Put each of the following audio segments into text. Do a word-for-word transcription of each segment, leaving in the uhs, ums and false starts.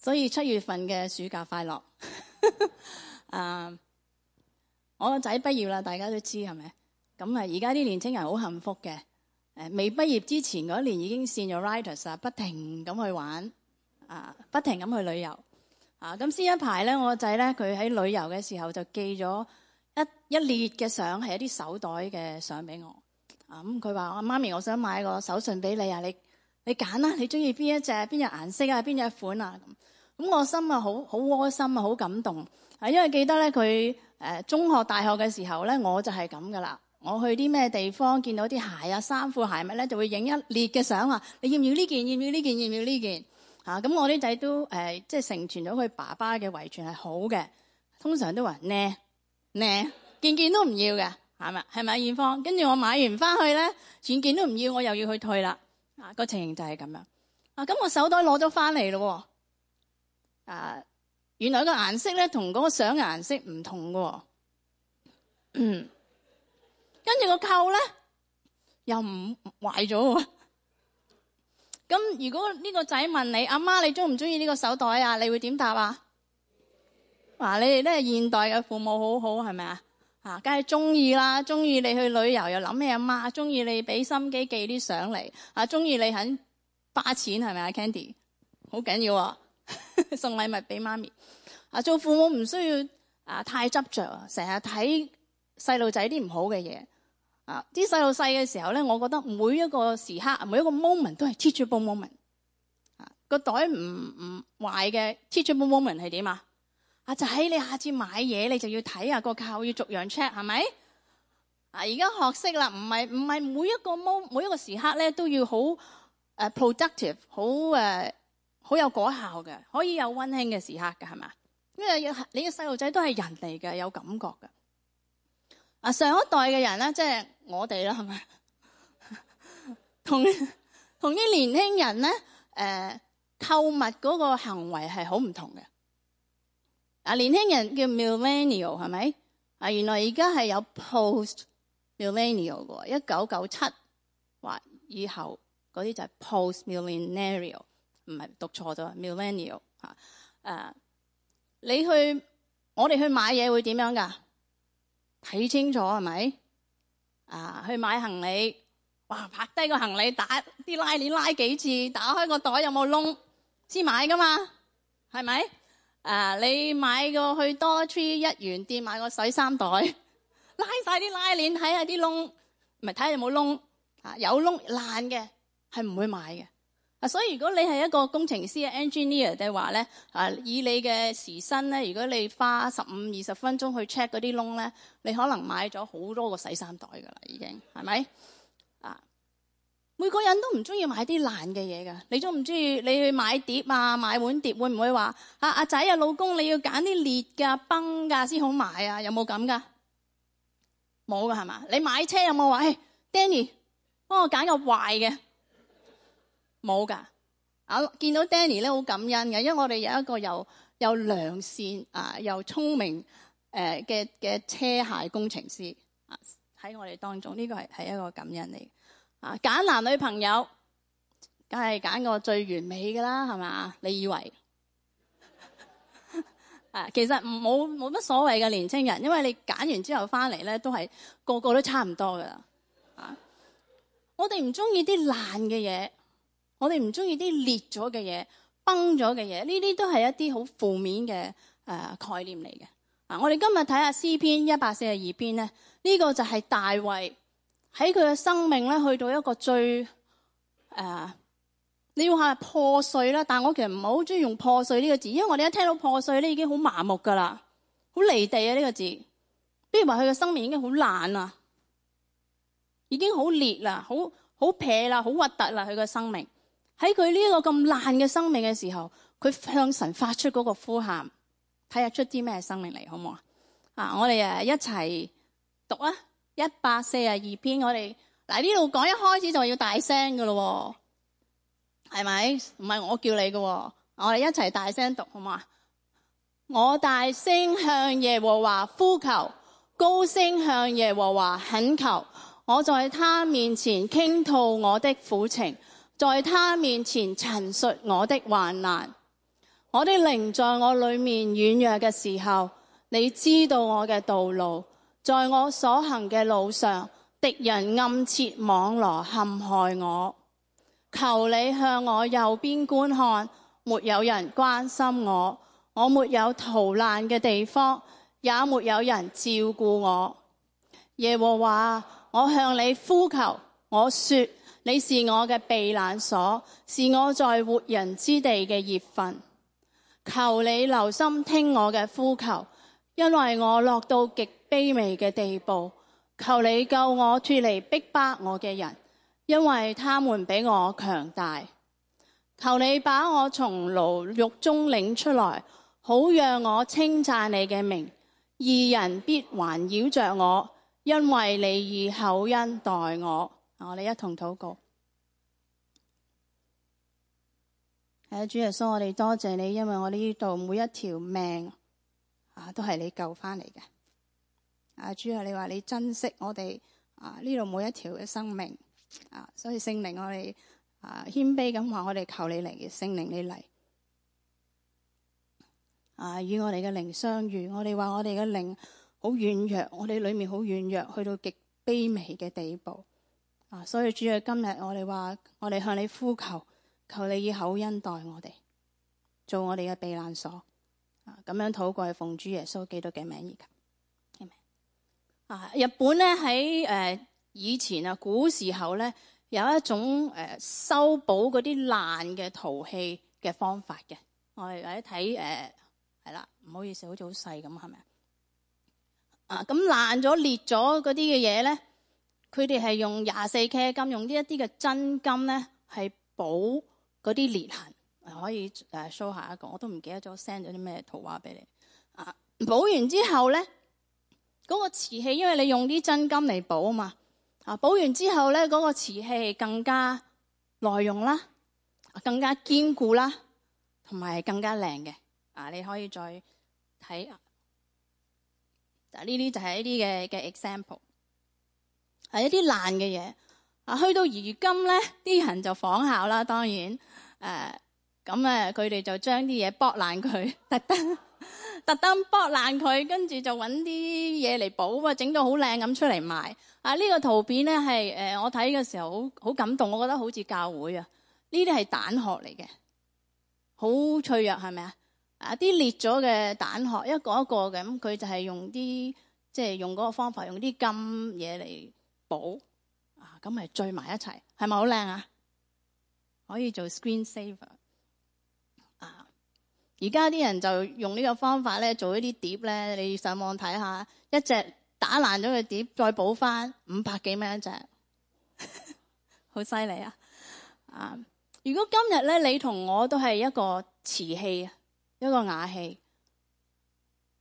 所以七月份嘅暑假快樂。啊，我個仔畢業啦，大家都知係咪？咁啊，而家啲年青人好幸福嘅。誒，未畢業之前嗰年已經 senioritis 啊，不停咁去玩，啊，不停咁去旅遊。啊，咁先一排咧，我個仔咧佢喺旅遊嘅時候就寄咗一一列嘅相，係一啲手袋嘅相俾我。啊，咁佢話：我媽咪，我想買個手信俾你啊，你你揀啦，你中意邊一隻、邊隻顏色啊、邊隻款啊咁。咁我心啊好好窩心啊，好感動。啊，因為記得咧佢誒中學、大學嘅時候咧，我就係咁噶啦。我去啲咩地方見到啲鞋啊、衫褲鞋襪咧，就會影一列嘅相啊。你要唔要呢件？要唔要呢件？要唔要呢件？啊，咁我啲仔都誒、呃，即係承傳咗佢爸爸嘅遺傳係好嘅，通常都話呢呢件件都唔要嘅，係咪？係咪艷芳？跟住我買完翻去咧，件件都唔要，我又要去退啦。啊，個情形就係咁樣。啊，咁我手袋攞咗翻嚟咯。啊，原來個顏色咧同嗰個相嘅顏色唔同嘅。嗯，跟住個扣咧又唔壞咗。咁如果呢個仔問你阿媽，你中唔中意呢個手袋啊？你會點答啊？嗱，你哋都係現代嘅父母，好好係咪啊？啊，梗係中意啦，中意你去旅遊又諗起阿媽，中意你俾心機寄啲相嚟，啊，中意你肯花錢係咪啊 Candy？ 好緊要啊！送禮物俾媽咪。啊，做父母唔需要啊太執着啊，成日睇細路仔啲唔好嘅嘢。啊！啲細路細嘅時候咧，我覺得每一個時刻、每一個 moment 都係 teachable moment。啊，個袋唔唔壞嘅 teachable moment 係點啊？啊，就喺你下次買嘢，你就要睇下個扣，要逐樣 check 係咪？啊，而家學識啦，唔係唔係每一個 moment 每一個時刻咧都要好誒 productive， 好誒好有果效嘅，可以有溫馨嘅時刻嘅係嘛？因為你嘅細路仔都係人嚟嘅，有感覺嘅。啊，上一代嘅人咧，即係我哋啦，係咪？同同啲年輕人咧，誒、呃，購物嗰個行為係好唔同嘅。啊，年輕人叫 millennial 係咪？啊，原來而家係有 post millennial 嘅，一九九七或以後嗰啲就係 post millennial， 唔係讀錯咗 millennial 吓。誒，你去我哋去買嘢會點樣噶？睇清楚係咪？啊，去買行李，哇，拍低個行李，打啲拉鏈拉幾次，打開個袋有冇窿先買噶嘛？係咪？啊，你買個去多 tree 一元店買個洗衫袋，拉晒啲拉鏈，睇下啲窿，唔係睇下有冇窿啊？有窿爛嘅係唔會買嘅。啊，所以如果你係一個工程師 engineer 嘅話咧，啊，以你嘅時薪咧，如果你花十五二十分鐘去 check 嗰啲窿咧，你可能買咗好多個洗衫袋噶啦，已經係咪？啊，每個人都唔中意買啲爛嘅嘢噶，你中唔中意？你去買碟啊，買碗碟，會唔會話啊阿仔啊老公你要揀啲裂噶崩噶先好買啊？有冇咁噶？冇噶係嘛？你買車有冇話？誒 Danny 幫我揀個壞嘅？冇噶，啊見到 Danny 咧好感恩嘅，因為我哋有一個又又良善啊又聰明誒嘅嘅車械工程師啊喺我哋當中，呢、這個係係一個感恩嚟。啊，揀男女朋友，梗係揀個最完美噶啦，係嘛？你以為？啊，其實冇冇乜所謂嘅年青人，因為你揀完之後翻嚟咧，都係個個都差唔多噶啦。啊，我哋唔中意啲爛嘅嘢。我哋唔中意啲裂咗嘅嘢、崩咗嘅嘢，呢啲都係一啲好負面嘅誒、呃、概念嚟嘅。啊，我哋今日睇下詩篇一百四十二篇咧，呢、呢個就係大衛喺佢嘅生命咧去到一個最誒、呃，你要話破碎啦，但我其實唔係好中意用破碎呢個字，因為我哋一聽到破碎咧已經好麻木噶啦，好離地啊呢個字。不如話佢嘅生命已經好爛啊，已經好裂啦，好好撇啦，好核突啦，佢嘅生命。喺佢呢一個咁爛嘅生命嘅時候，佢向神發出嗰個呼喊，睇下出啲咩生命嚟，好唔好啊？啊，我哋誒一齊讀啊！一百四十二篇，我哋嗱呢度講一開始就要大聲噶咯，係咪？唔係我叫你噶，我哋一齊大聲讀，好唔好啊？我大聲向耶和華呼求，高聲向耶和華懇求，我在他面前傾吐我的苦情。在他面前陳述我的患難，我的靈在我裏面軟弱嘅時候，你知道我嘅道路。在我所行嘅路上，敵人暗設網羅陷害我。求你向我右邊觀看，沒有人關心我，我沒有逃難嘅地方，也沒有人照顧我。耶和華，我向你呼求，我說你是我嘅避難所，是我在活人之地嘅業份。求你留心聽我嘅呼求，因為我落到極卑微嘅地步。求你救我脫離逼迫我嘅人，因為他們比我強大。求你把我從牢獄中領出來，好讓我稱讚你嘅名。義人必環繞着我，因為你以厚恩待我。我哋一同禱告。係啊，主耶穌，我哋多謝你，因為我哋呢度每一條命啊，都係你救翻嚟嘅。啊，主啊，你話你珍惜我哋啊呢度每一條嘅生命啊，所以聖靈我哋啊謙卑咁話，我哋求你嚟，聖靈你嚟啊，與我哋嘅靈相遇。我哋話我哋嘅靈好軟弱，我哋裏面好軟弱，去到極卑微嘅地步啊。所以主啊，今日我哋話我哋向你呼求，求你以厚恩待我哋，做我哋嘅避難所啊。咁樣禱告，奉主耶穌基督嘅名而求。啊！日本咧喺誒以前啊古時候咧有一種誒、呃、修補嗰啲爛嘅陶器嘅方法嘅。我哋嚟睇誒係啦，唔好意思，好似好細咁，係咪啊？咁爛咗裂咗嗰啲嘅嘢咧，佢哋係用廿四 K 金，用呢一啲嘅真金咧係補嗰啲裂痕。可以誒 show 下一個，我都唔記得咗 send 咗啲咩圖畫俾你啊！補完之後咧。嗰個瓷器，因為你用啲真金嚟補啊嘛，啊補完之後咧，嗰個瓷器更加耐用啦，更加堅固啦，同埋更加靚嘅。啊，你可以再睇啊，呢啲就係一啲嘅嘅 example， 係一啲爛嘅嘢。啊，去到如今咧，啲人就仿效啦，當然誒，咁啊，佢哋就將啲嘢剝爛佢，特登。特登剝爛佢，跟住就揾啲嘢嚟補啊，整到好靚咁出嚟賣。啊，呢、這個圖片咧係誒，我睇嘅時候好好感動，我覺得好似教會啊。呢啲係蛋殼嚟嘅，好脆弱係咪啊？啊，啲裂咗嘅蛋殼一個一個嘅，咁佢就係用啲即係用嗰個方法，用啲金嘢嚟補啊，咁咪聚埋一齊，係咪好靚啊？可以做 screen saver。而家啲人就用呢個方法咧，做一啲碟咧，你上網睇下，一隻打爛咗嘅碟，再補翻五百幾蚊一隻，好犀利啊！啊，如果今日咧，你同我都係一個瓷器，一個瓦器，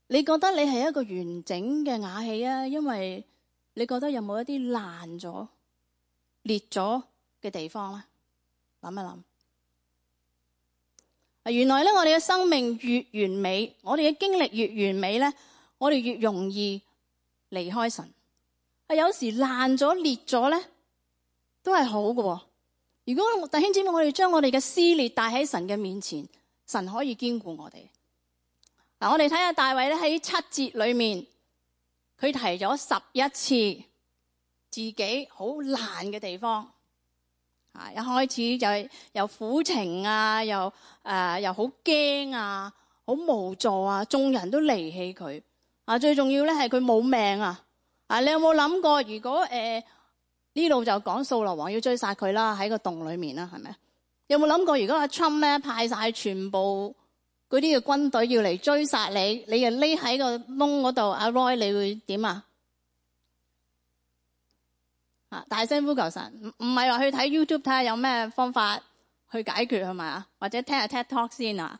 你覺得你係一個完整嘅瓦器啊？因為你覺得有冇一啲爛咗、裂咗嘅地方咧？諗一諗。原來咧，我哋嘅生命越完美，我哋嘅經歷越完美咧，我哋越容易離開神。啊，有時爛咗裂咗咧，都係好嘅。如果弟兄姊妹，我哋將我哋嘅撕裂帶喺神嘅面前，神可以堅固我哋。嗱，我哋睇下大衛咧喺七節裏面，佢提咗十一次自己好爛嘅地方。啊！一開始就係又苦情啊，又誒、呃、又好驚啊，好無助啊，眾人都離棄佢啊。最重要咧係佢冇命啊！啊，你有冇諗過？如果誒呢度就講掃羅王要追殺佢啦，喺個洞裏面啦，係咪？有冇諗過？如果阿 Trump 咧派晒全部嗰啲嘅軍隊要嚟追殺你，你又匿喺個窿嗰度，阿 Roy 你會點啊？啊！大聲呼求神，唔唔係話去睇 YouTube 睇下有咩方法去解決係咪啊？或者聽下 TED Talk 先啊？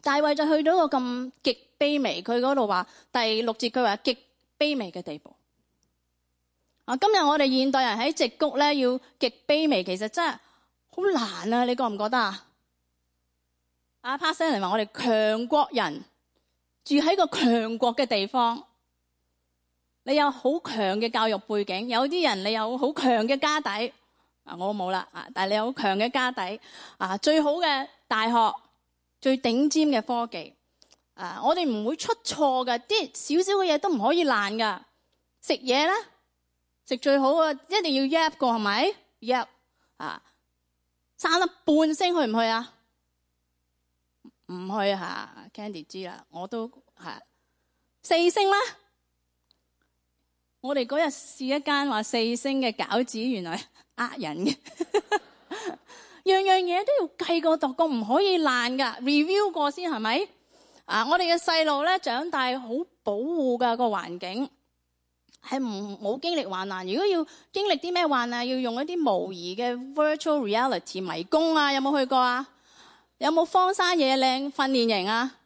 大衛就去到一個咁極卑微，佢嗰度話第六節佢話極卑微嘅地步。啊！今日我哋現代人喺矽谷咧要極卑微，其實真係好難啊！你覺唔覺得啊？阿 Pastor 話我哋強國人住喺個強國嘅地方。你有好強嘅教育背景，有啲人你有好強嘅家底，啊我冇啦，啊但係你有好強嘅家底，啊最好嘅大學，最頂尖嘅科技。啊，我哋唔會出錯㗎，啲少少嘅嘢都唔可以爛㗎。食嘢咧，食最好啊，一定要醃過係咪？醃啊，三粒半星去唔去啊？唔去吓 Candy 知啦，我都係四星啦。我哋嗰日試一間話四星嘅餃子，原來呃人嘅，樣樣嘢都要計過度過，唔可以爛噶 ，review 過先係咪？啊，我哋嘅細路咧長大好保護噶個環境，係唔冇經歷患難。如果要經歷啲咩患難，要用一啲模擬嘅 virtual reality 迷宮啊，有冇去過啊？有冇荒山野嶺訓練營啊？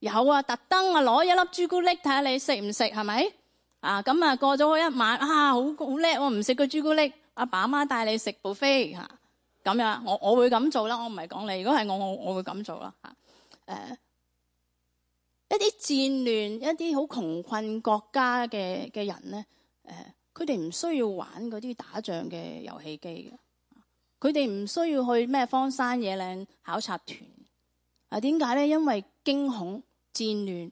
有啊，特登啊攞一粒朱古力睇下你食唔食係咪？啊咁啊過咗一晚啊，好好叻喎，唔食個朱古力，阿爸阿媽帶你食 buffet 嚇，咁樣我我會咁做啦，我唔係講你，如果係我我我會咁做啦嚇。誒一啲戰亂、一啲好窮困國家嘅嘅人咧，誒佢哋唔需要玩嗰啲打仗嘅遊戲機嘅。佢哋唔需要去咩荒山野嶺考察團啊？點解咧？因為驚恐、戰亂、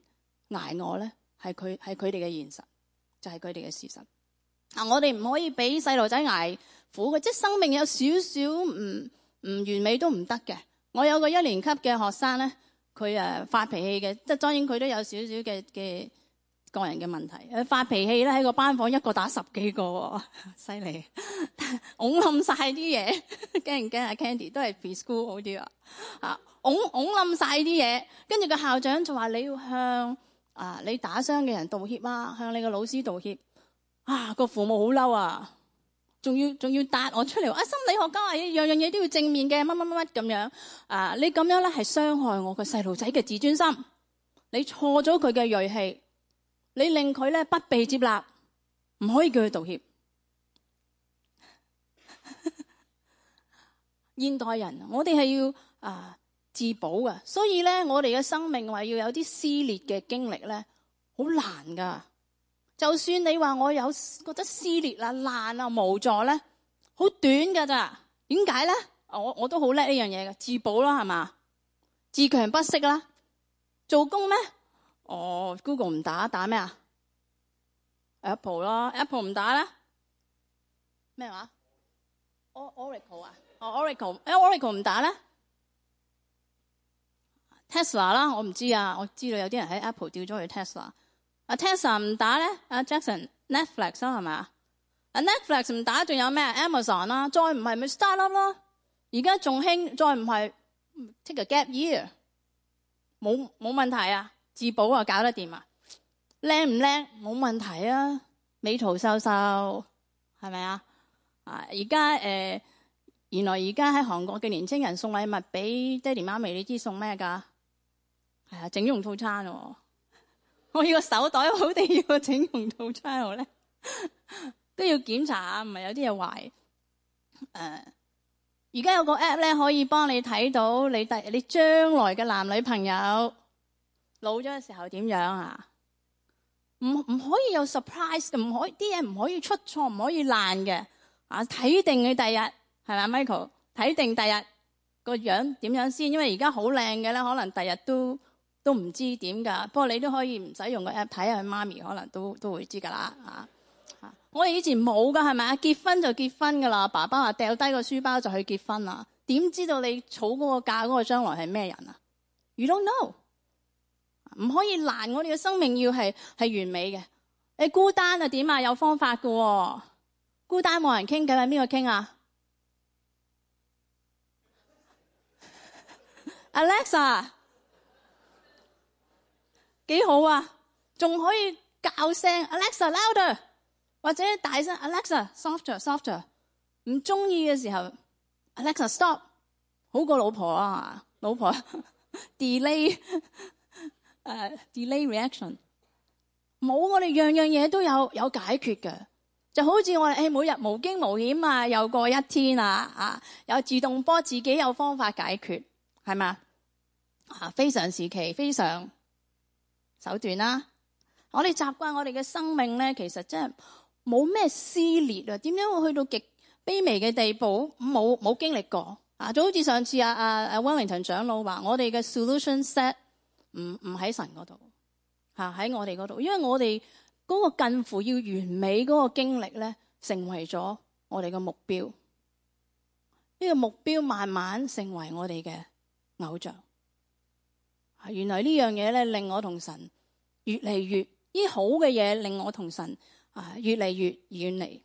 挨餓咧，係佢係佢哋嘅現實，就係佢哋嘅事實。啊！我哋唔可以俾細路仔挨苦嘅，即係生命有少少唔唔完美都唔得嘅。我有個一年級嘅學生咧，佢誒發脾氣嘅，即係當然佢都有少少嘅嘅個人嘅問題。誒發脾氣咧喺個班房一個打十幾個喎，犀利，拱冧晒啲嘢，驚唔驚啊 Candy 都係 preschool 好啲啊！啊，拱拱冧晒啲嘢，跟住個校長就話你要向啊你打傷嘅人道歉啊，向你個老師道歉啊！個父母好嬲啊，仲要仲要答我出嚟啊！心理學家話樣樣嘢都要正面嘅，乜乜乜乜咁樣啊！你咁樣咧係傷害我個細路仔嘅自尊心，你錯咗佢嘅銳氣。你令佢咧不被接納，唔可以叫佢道歉。現代人，我哋係要啊自保㗎，所以咧我哋嘅生命話要有啲撕裂嘅經歷咧，好難噶。就算你話我有覺得撕裂啦、爛啊、無助咧，好短噶咋？點解咧？我我都好叻呢樣嘢嘅，自保啦，係嘛？自強不息啦，做工咩？哦 ，Google 唔打，打咩啊 ？Apple 咯 ，Apple 唔打啦。咩話 ？Oracle 啊？哦 ，Oracle，Oracle 唔打咧 ？Tesla 啦，我唔知啊，我知道有啲人喺 Apple 調咗去 Tesla。啊 Tesla 唔打咧？阿 Jackson，Netflix 啦係嘛？啊 Netflix 唔打，仲有咩 ？Amazon 啦，再唔係咪 startup 咯？而家仲興，再唔係 take a gap year，冇冇問題啊？自保啊，搞得掂啊？靚唔靚？冇問題啊！美圖秀秀係咪啊？啊！而家誒，原來而家喺韓國嘅年青人送禮物俾爹哋媽咪，你知送咩㗎？係啊，整容套餐喎、哦！我要個手袋好定要個整容套餐好咧？都要檢查下，唔係有啲嘢壞。誒、呃，而家有個 app 咧，可以幫你睇到你第你將來嘅男女朋友。老咗嘅時候點樣啊？唔唔可以有 surprise 嘅，唔可以啲嘢唔可以出錯，唔可以爛嘅啊！睇定佢第日係咪 Michael？ 睇定第日個樣點樣先？因為而家好靚嘅咧，可能第日都都唔知點㗎。不過你都可以唔使用個 app 睇下佢媽咪，可能都都會知㗎啦啊！啊，我哋以前冇㗎係咪啊？結婚就結婚㗎啦，爸爸話掉低個書包就去結婚啦。點知道你儲嗰個嫁嗰個將來係咩人啊 ？You don't know。唔可以爛，我哋嘅生命要係係完美嘅。你孤單啊點啊？有方法㗎喎。孤單冇人傾偈，係邊個傾啊 ？Alexa 幾好啊，仲可以教聲 Alexa louder， 或者大聲 Alexa softer softer。唔中意嘅時候 Alexa stop， 好過老婆啊，老婆 delay。誒、uh, delay reaction 冇，我哋樣樣嘢都有有解決嘅，就好似我哋誒每日無驚無險啊，又過一天啊啊，有自動波自己有方法解決，係嘛啊？非常時期非常手段啦、啊。我哋習慣我哋嘅生命咧，其實真係冇咩撕裂啊。點樣會去到極卑微嘅地步？冇冇經歷過啊，就好似上次阿阿阿 Wellington 長老話，我哋嘅 solution set 唔唔喺神嗰度，嚇喺我哋嗰度，因為我哋嗰個近乎要完美嗰個經歷咧，成為咗我哋嘅目標。呢個目標慢慢成為我哋嘅偶像。原來呢樣嘢咧，令我同神越嚟越呢好嘅嘢，令我同神啊越嚟越遠離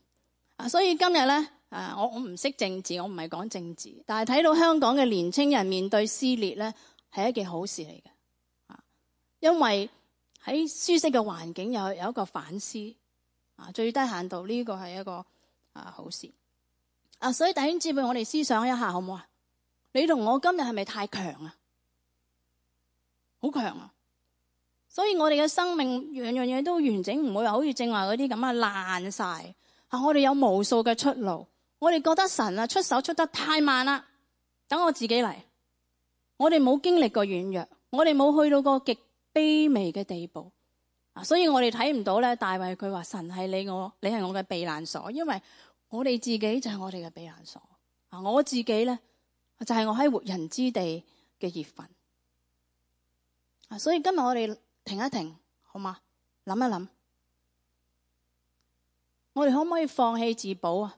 啊。所以今日咧啊，我我唔識政治，我唔係講政治，但係睇到香港嘅年青人面對撕裂咧，係一件好事嚟嘅啊。因為喺舒適嘅環境有有一個反思啊，最低限度呢個係一個啊好事啊。所以弟兄姊妹，我哋思想一下好唔好啊？你同我今日係咪太強啊？好強啊！所以我哋嘅生命樣樣嘢都完整，唔會話好似正話嗰啲咁啊爛晒啊！我哋有無數嘅出路，我哋覺得神啊出手出得太慢啦，等我自己嚟。我哋冇經歷過軟弱，我哋冇去到個極卑微嘅地步啊！所以我哋睇唔到咧，大衛佢話神係你我，你係我嘅避難所，因為我哋自己就係我哋嘅避難所啊！我自己咧就係我喺活人之地嘅業份。啊！所以今日我哋停一停，好嘛？諗一諗，我哋可唔可以放棄自保啊？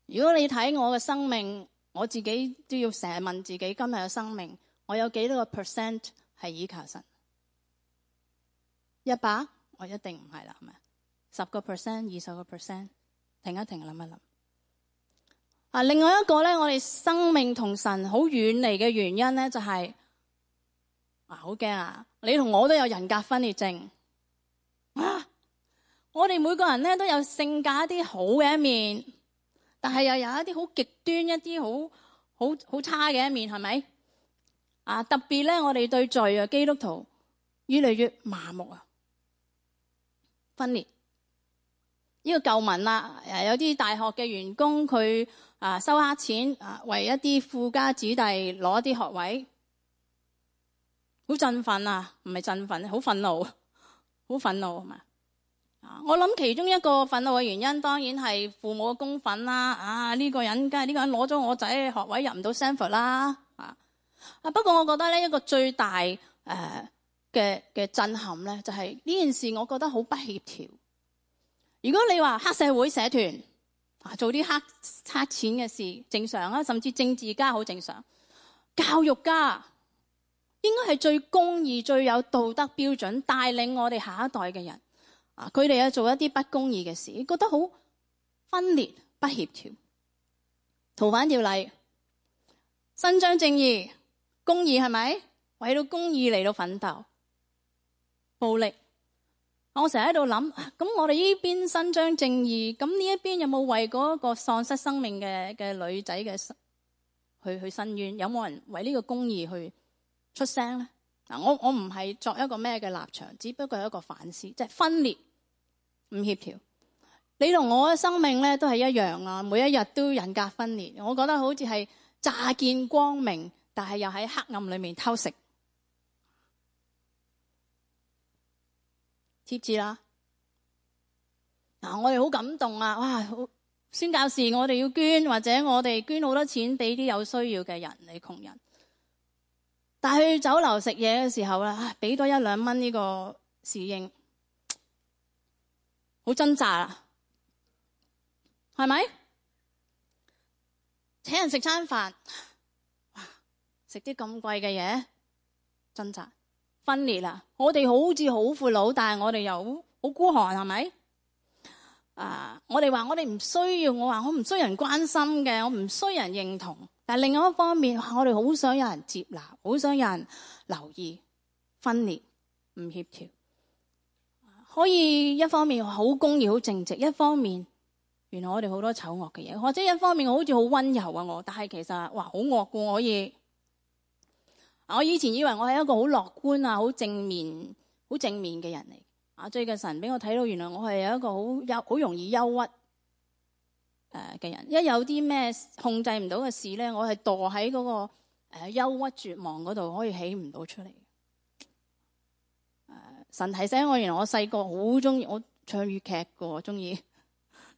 如果你睇我嘅生命，我自己都要成日問自己，今日嘅生命，我有幾多個 percent 係依靠神？一百，我一定唔係啦，係咪？十個 percent、二十個 percent， 停一停，諗一諗。啊，另外一個咧，我哋生命同神好遠離嘅原因咧，就係。啊，好驚啊！你同我都有人格分裂症啊！我哋每個人咧都有性格一啲好嘅一面，但係又有一啲好極端、一啲好好好差嘅一面，係咪？啊，特別咧，我哋對罪啊，基督徒越嚟越麻木啊，分裂。呢、這個舊聞啦，誒，有啲大學嘅員工佢啊收黑錢啊，為一啲富家子弟攞一啲學位。好振奮啊，唔係振奮，好憤怒，好憤怒係嘛？啊，我諗其中一個憤怒嘅原因，當然係父母嘅公憤啦。啊，呢個人梗係呢個人攞咗我仔嘅學位入唔到 Stanford 啦。啊，啊不過我覺得咧一個最大誒嘅嘅震撼咧，就係呢件事，我覺得好不協調。如果你話黑社會社團啊，做啲黑黑錢嘅事正常啊，甚至政治家好正常，教育家。應該係最公義、最有道德標準，帶領我哋下一代嘅人啊！佢哋啊做一啲不公義嘅事，覺得好分裂、不協調。逃犯條例伸張正義、公義係咪？為到公義嚟到奮鬥，暴力。我成日喺度諗，咁我哋呢邊伸張正義，咁呢一邊有冇為嗰個喪失生命嘅嘅女仔嘅去去申冤？有冇人為呢個公義去出聲咧？嗱，我我唔係作一個咩嘅立場，只不過係一個反思，即係分裂唔協調。你同我嘅生命咧都係一樣啊，每一日都人格分裂。我覺得好似係乍見光明，但係又喺黑暗裏面偷食。貼字啦，嗱，我哋好感動啊！哇，好宣教士，我哋要捐，或者我哋捐好多錢俾啲有需要嘅人，你窮人。但係去酒樓食嘢嘅時候咧，俾多一兩蚊呢個侍應，好掙扎啊，係咪？請人食餐飯，哇，食啲咁貴嘅嘢，掙扎分裂啦。我哋好似好闊佬，但係我哋又好好孤寒，係咪？啊，我哋話我哋唔需要，我話我唔需要人關心嘅，我唔需要人認同。但係另外一方面，我哋好想有人接納，好想有人留意，分裂唔協調。可以一方面好公義、好正直，一方面原來我哋好多醜惡嘅嘢，或者一方面我好似好溫柔啊我，但係其實哇好惡㗎。可以，我以前以為我係一個好樂觀啊、好正面、好正面嘅人嚟。啊，最近神俾我睇到，原來我係有一個好憂、好容易憂鬱誒嘅人。一有啲咩控制唔到嘅事咧，我係墮喺嗰個誒憂鬱絕望嗰度，可以起唔到出嚟。誒、呃，神提醒我，原來我細個好中意我唱粵劇嘅，中意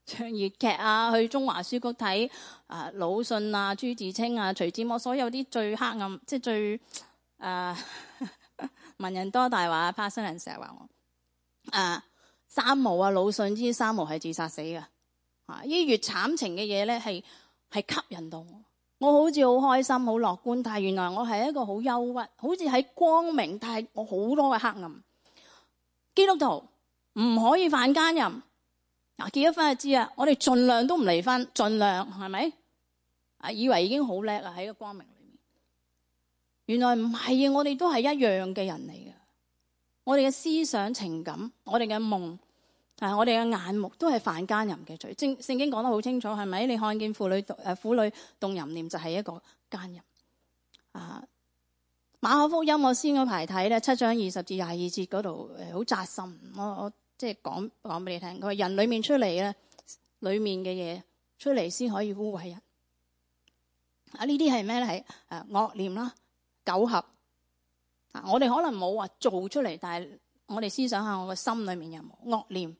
唱粵劇啊，去中華書局睇啊魯迅啊、朱自清啊、徐志摩，所有啲最黑暗，即係最誒、啊、文人多大話。帕森人成日話我啊三毛啊，魯迅知三毛係自殺死嘅啊！呢越慘情嘅嘢咧，係係吸引到我。我好似好開心、好樂觀，但係原來我係一個好憂鬱，好似喺光明，但係我好多嘅黑暗。基督徒唔可以犯奸淫。嗱，結咗婚就知啊，我哋盡量都唔離婚，盡量係咪？啊，以為已經好叻啊，喺個光明裏面。原來唔係啊，我哋都係一樣嘅人嚟嘅。我哋嘅思想、情感，我哋嘅夢，啊，我哋嘅眼目都係犯奸淫嘅罪。聖聖經講得好清楚，係咪？你看見婦女誒婦女動淫念，就係一個奸淫。啊，馬可福音我先嗰排睇咧，七章二十至廿二節嗰度誒，好扎心。我我。即係講講俾你聽，佢話人裏面出嚟咧，裏面嘅嘢出嚟先可以污穢人。啊，呢啲係咩咧？係誒惡念啦、苟合。啊，我哋可能冇話做出嚟，但係我哋思想下，我個心裏面有冇惡念、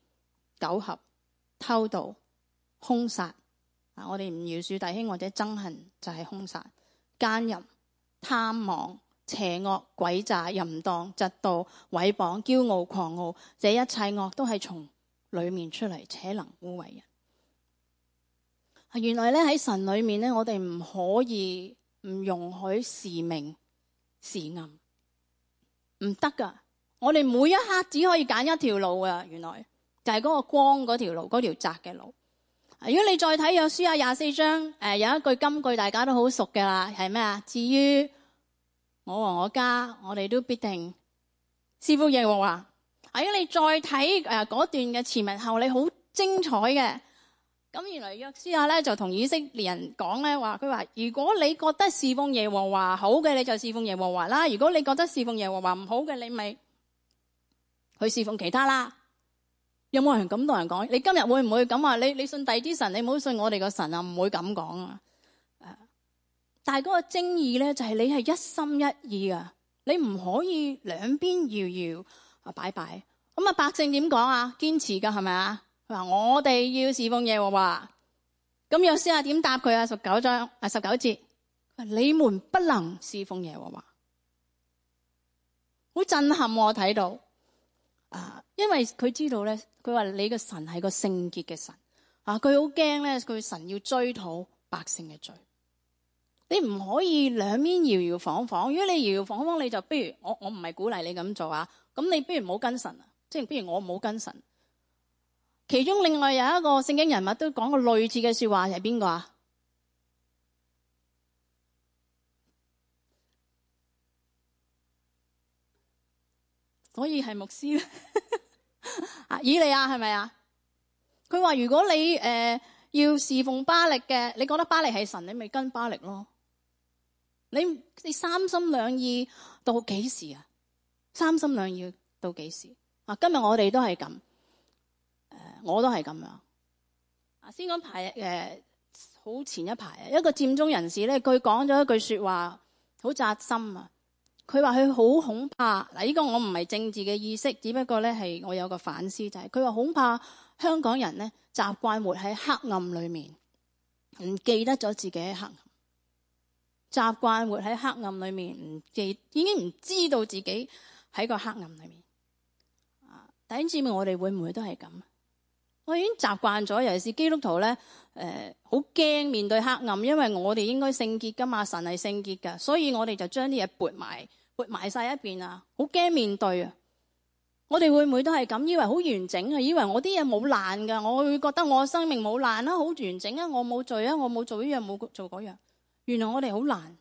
苟合、偷盜、兇殺。啊，我哋唔饒恕弟兄或者憎恨就係兇殺、奸淫、貪妄、邪惡、詭詐、淫蕩、嫉妒、毀謗、驕傲、狂傲，這一切惡都係從裏面出嚟，且能污穢人。原來咧喺神裏面咧，我哋唔可以唔容許時明時暗，唔得噶。我哋每一刻只可以揀一條路啊！原來就係嗰個光嗰條路，嗰條窄嘅路。如果你再睇約書亞廿四章，誒有一句金句大家都好熟嘅啦，係咩啊？至於我和我家，我哋都必定侍奉耶和華。如果你再睇誒嗰段嘅前文後理，好精彩嘅。咁原來約書亞咧就同以色列人講咧話，佢話如果你覺得侍奉耶和華好嘅，你就侍奉耶和華啦；如果你覺得侍奉耶和華唔好嘅，你咪去侍奉其他啦。有冇人咁同人講？你今日會唔會咁話？你你信第啲神，你唔好信我哋個神啊！唔會咁講啊。但係嗰個精義咧，就係你係一心一意啊！你唔可以兩邊搖搖啊擺擺。咁啊，百姓點講啊？堅持噶係咪啊？佢話我哋要侍奉耶和華。咁約書亞點答佢啊？十九章啊，十九節，你們不能侍奉耶和華。好震撼我睇到啊！因為佢知道咧，佢話你個神係個聖潔嘅神啊！佢好驚咧，佢神要追討百姓嘅罪。你唔可以兩邊搖搖晃晃。如果你搖搖晃晃，你就不如我我唔係鼓勵你咁做啊。咁你不如唔好跟神啊，即係不如我唔好跟神。其中另外有一個聖經人物都講過類似嘅說話，係邊個啊？所以係牧師咧。啊，以利亞係咪啊？佢話如果你誒、呃、要侍奉巴力嘅，你覺得巴力係神，你咪跟巴力咯。你你三心兩意到幾時啊？三心兩意到幾時啊？今日我哋都係咁，誒、呃，我都係咁樣。啊，先講排誒，好、呃、前一排啊，一個佔中人士咧，佢講咗一句說話，好扎心啊。佢話佢好恐怕嗱，呢、這個我唔係政治嘅意識，只不過咧係我有個反思，就係佢話恐怕香港人咧習慣活喺黑暗裏面，唔記得咗自己喺黑暗。習慣活喺黑暗裏面，唔記已經唔知道自己喺個黑暗裏面。啊，弟兄姊妹，我哋會唔會都係咁？我已經習慣咗，尤其是基督徒咧，誒、呃，好驚面對黑暗，因為我哋應該聖潔噶嘛，神係聖潔噶，所以我哋就將啲嘢撥埋，撥埋晒一邊啊，好驚面對啊！我哋會唔會都係咁？以為好完整啊，以為我啲嘢冇爛噶，我會覺得我生命冇爛啦，好完整啊，我冇罪啊，我冇做呢樣，冇做嗰樣。原來我哋好難。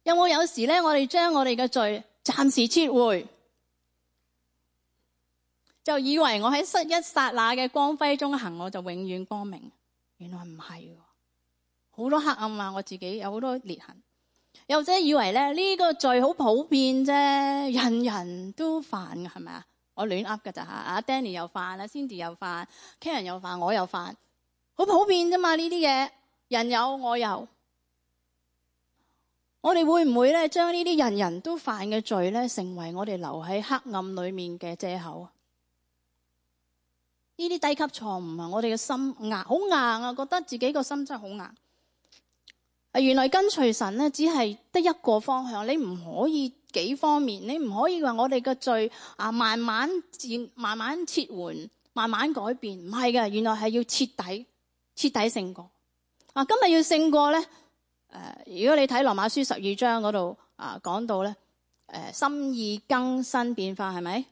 有冇有，有時咧，我哋將我哋嘅罪暫時撤回，就以為我喺失一剎那嘅光輝中行，我就永遠光明。原來唔係，好多黑暗啊！我自己有好多裂痕。又或者以為咧呢、這個罪好普遍啫，人人都犯嘅係咪啊？我亂噏㗎咋吓？阿 Danny 又犯，阿 Cindy 又犯 Karen 又犯，我又犯，好普遍啫嘛呢啲嘢，人有我有。我哋會唔會咧將呢啲人人都犯嘅罪咧，成為我哋留喺黑暗裏面嘅借口？呢呢啲低級錯誤啊，我哋嘅心硬，好硬啊，覺得自己個心真係好硬。啊，原來跟隨神咧，只係得一個方向，你唔可以幾方面，你唔可以話我哋嘅罪啊，慢慢漸慢慢撤換，慢慢改變，唔係嘅，原來係要徹底徹底勝過。啊，今日要勝過咧，誒、呃，如果你睇羅馬書十二章嗰度啊，講到咧，誒、呃，心意更新變化係咪？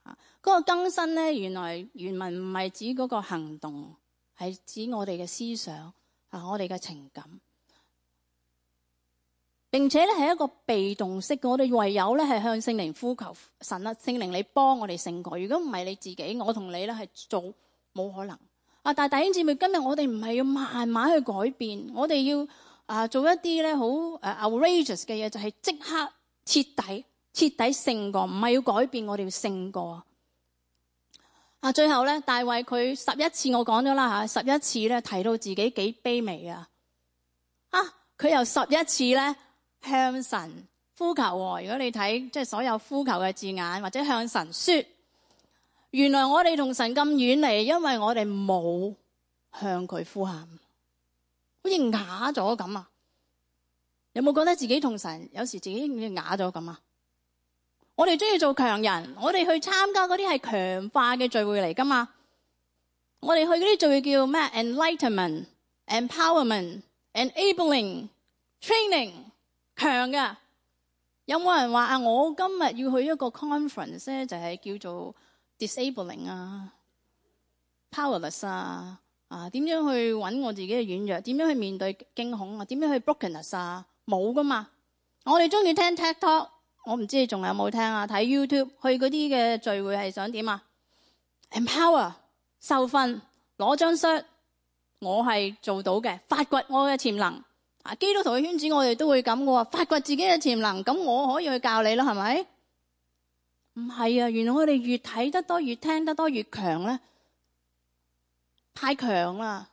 啊，嗰個更新咧，原來原文唔係指嗰個行動，係指我哋嘅思想啊，我哋嘅情感。並且咧係一個被動式嘅，我哋唯有咧係向聖靈呼求神啊，聖靈你幫我哋勝過。如果唔係你自己，我同你咧係做冇可能啊！但係弟兄姊妹，今日我哋唔係要慢慢去改變，我哋要啊做一啲咧好誒 outrageous 嘅嘢，就係即刻徹底徹底勝過，唔係要改變，我哋要勝過啊！最後咧，大衛佢十一次我講咗啦吓，十一次咧提到自己幾卑微啊！啊，佢由十一次咧。向神呼求，如果你睇即係所有呼求嘅字眼，或者向神說，原來我哋同神咁遠離，因為我哋冇向佢呼喊，好似啞咗咁啊！有冇覺得自己同神有時自己好似啞咗咁啊？我哋中意做強人，我哋去參加嗰啲係強化嘅聚會嚟噶嘛？我哋去嗰啲聚會叫咩 ？Enlightenment、Empowerment、Enabling、Training。強嘅，有冇人話啊？我今日要去一個 conference 咧，就係叫做 disabling 啊、powerless 啊，啊點樣去揾我自己嘅軟弱？點樣去面對驚恐啊？點樣去 brokenness 啊？冇噶嘛！我哋中意聽 TED Talk， 我唔知你仲有冇聽啊？睇 YouTube 去嗰啲嘅聚會係想點啊 ？empower 受訓攞張 cert， 我係做到嘅，發掘我嘅潛能。啊！基督徒嘅圈子，我哋都會咁嘅喎，發掘自己嘅潛能，咁我可以去教你啦，係咪？唔係啊！原來我哋越睇得多，越聽得多，越強咧，太強啦！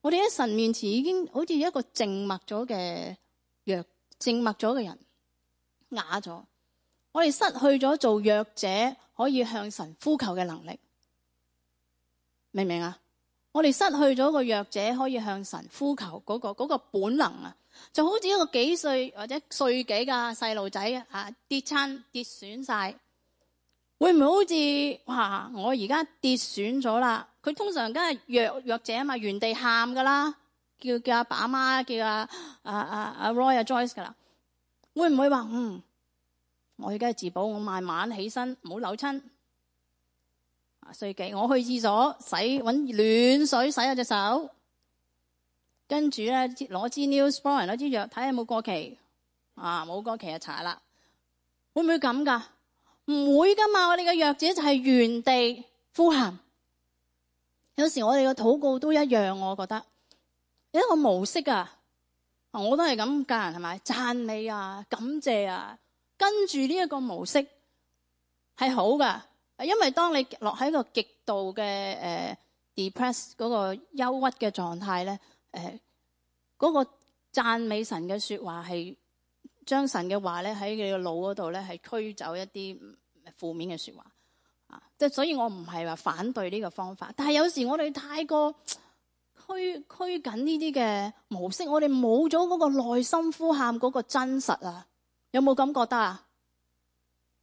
我哋喺神面前已經好似一個靜默咗嘅弱，靜默咗嘅人，啞咗。我哋失去咗做弱者可以向神呼求嘅能力，明唔明啊？我哋失去咗個弱者可以向神呼求嗰個嗰個本能啊，就好似一個幾歲或者歲幾嘅細路仔啊，跌親跌損晒，會唔會好似哇？我而家跌損咗啦，佢通常梗係弱弱者啊嘛，原地喊噶啦，叫叫阿爸阿媽，叫阿阿阿阿 Roy 阿 Joyce 噶啦，會唔會話嗯？我而家係自保，我慢慢起身，唔好扭親。歲幾，我去廁所洗，搵暖水洗下隻手，跟住咧攞支 Neosporin 攞支藥睇下有冇過期，啊冇過期就搽啦。會唔會咁噶？唔會噶嘛！我哋嘅弱者就係原地呼喊。有時我哋嘅禱告都一樣，我覺得有一個模式啊，我都係咁教人係咪？讚美啊，感謝啊，跟住呢一個模式係好噶。因為當你落喺個極度嘅誒、呃、depress 嗰個憂鬱嘅狀態咧，誒、呃、嗰、那個讚美神嘅說話係將神嘅話咧喺你個腦嗰度咧係驅走一啲負面嘅說話啊！即係所以我唔係話反對呢個方法，但係有時我哋太過拘拘緊呢啲嘅模式，我哋冇咗嗰個內心呼喊嗰個真實啊！有冇咁覺得啊？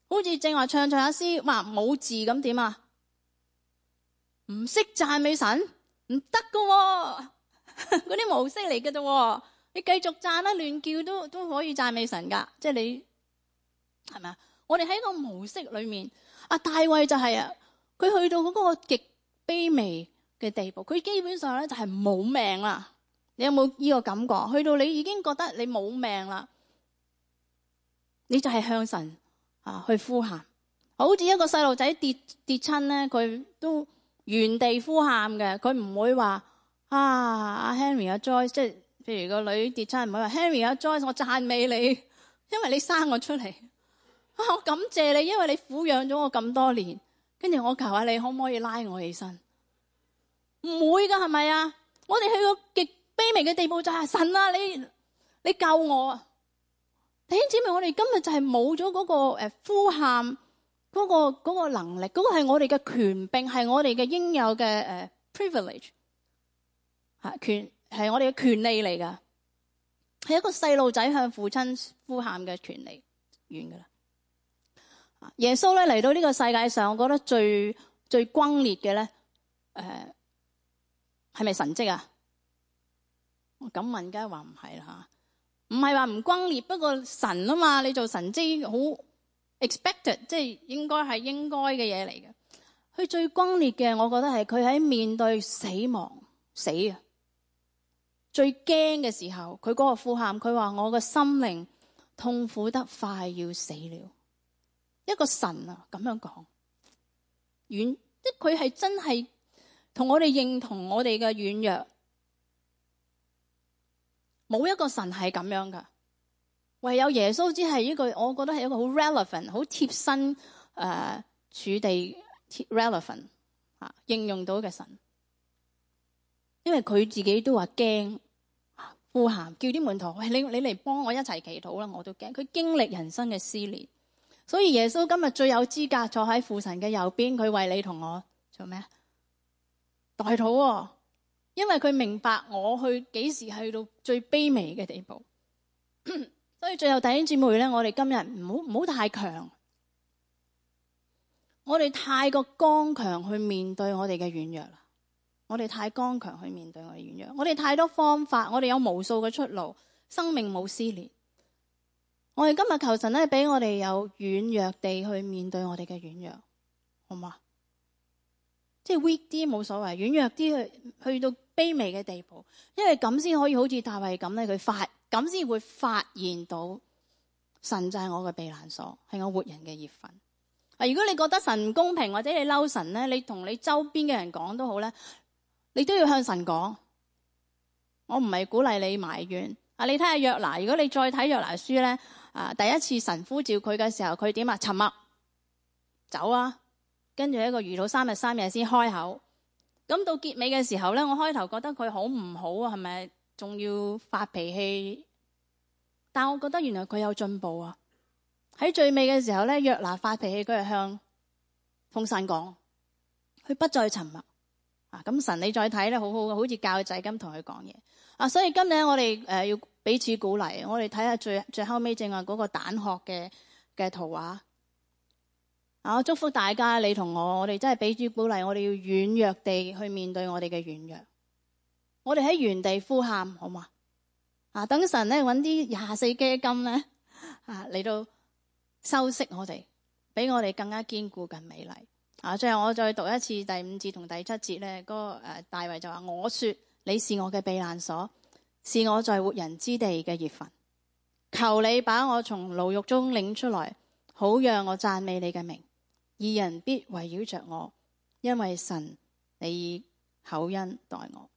好似正話唱唱下詩，話冇字咁點啊？唔識讚美神唔得噶，嗰啲模式嚟嘅啫。你繼續讚啦，亂叫都都可以讚美神噶。即係你係咪啊？我哋喺個模式裏面，阿大衛就係啊，佢去到嗰個極卑微嘅地步，佢基本上咧就係冇命啦。你有冇呢個感覺？去到你已經覺得你冇命啦，你就係向神。啊！去呼喊，好似一個細路仔跌跌親咧，佢都原地呼喊嘅，佢唔會話啊阿 Henry 阿 Joyce，即係譬如個女跌親，唔會話 Henry 阿 Joyce，我讚美你，因為你生我出嚟，啊我感謝你，因為你撫養咗我咁多年，跟住我求下你可唔可以拉我起身？唔會噶，係咪啊？我哋去個極卑微嘅地步就係神啊，你你救我啊！弟兄姊妹，我哋今日就係冇咗嗰個誒呼喊嗰個嗰個能力，嗰個係我哋嘅權柄，係我哋嘅應有嘅誒 privilege， 嚇權係我哋嘅權利嚟㗎，係一個細路仔向父親呼喊嘅權利，完㗎啦。耶穌咧嚟到呢個世界上，我覺得最最轟烈嘅咧，誒係咪神蹟啊？我咁問，梗係話唔係啦嚇，唔係話唔轟烈，不過神啊嘛，你做神蹟好 expected， 即係應該係應該嘅嘢嚟嘅。佢最轟烈嘅，我覺得係佢喺面對死亡死啊，最驚嘅時候，佢嗰個呼喊，佢話我嘅心靈痛苦得快要死了。一個神啊咁樣講，軟即佢係真係同我哋認同我哋嘅軟弱，冇一個神係咁樣噶，唯有耶穌只係一個，我覺得係一個好 relevant、好貼身誒、呃、處地 relevant 啊應用到嘅神，因為佢自己都話驚，呼喊叫啲門徒，喂，你你嚟幫我一齊祈禱啦，我都驚。佢經歷人生嘅撕裂。所以耶穌今日最有資格坐喺父神嘅右邊，佢為你同我做咩？代禱喎，因為佢明白我去幾時去到最卑微嘅地步。所以最後弟兄姊妹咧，我哋今日唔好唔好太強，我哋太過剛強去面對我哋嘅軟弱啦。我哋太剛強去面對我哋軟弱，我哋太多方法，我哋有無數嘅出路，生命冇撕裂。我哋今日求神咧，俾我哋有軟弱地去面對我哋嘅軟弱，好嘛？即係 weak 啲冇所謂，軟弱啲去去到卑微嘅地步，因為咁先可以好似大衛咁咧，佢發咁先會發現到神就係我嘅避難所，係我活人嘅業份。啊，如果你覺得神唔公平或者你嬲神咧，你同你周邊嘅人講都好咧，你都要向神講。我唔係鼓勵你埋怨。啊，你睇下約拿，如果你再睇約拿書咧。啊！第一次神呼召佢嘅時候，佢點啊？沉默，走啊！跟住一個遇到三日三夜先開口。咁到結尾嘅時候咧，我開頭覺得佢好唔好啊？係咪仲要發脾氣？但我覺得原來佢有進步啊！喺最尾嘅時候咧，約拿發脾氣，佢係向奉神講，佢不再沉默。啊！咁神你再睇咧，好好嘅，好似教仔咁同佢講嘢。啊！所以今日我哋誒要彼此鼓勵，我哋睇下最最後尾正話嗰個蛋殼嘅嘅圖畫。啊！我祝福大家，你同我，我哋真係彼此鼓勵，我哋要軟弱地去面對我哋嘅軟弱。我哋喺原地呼喊，好嘛？啊！等神咧揾啲廿四基金咧啊嚟到修飾我哋，俾我哋更加堅固、更美麗。啊！最後我再讀一次第五節同第七節咧，嗰、那個誒、呃、大衛就話：我說你是我嘅避難所，是我在活人之地嘅業份。求你把我從牢獄中領出來，好讓我讚美你嘅名。義人必圍繞着我，因為神你以厚恩待我。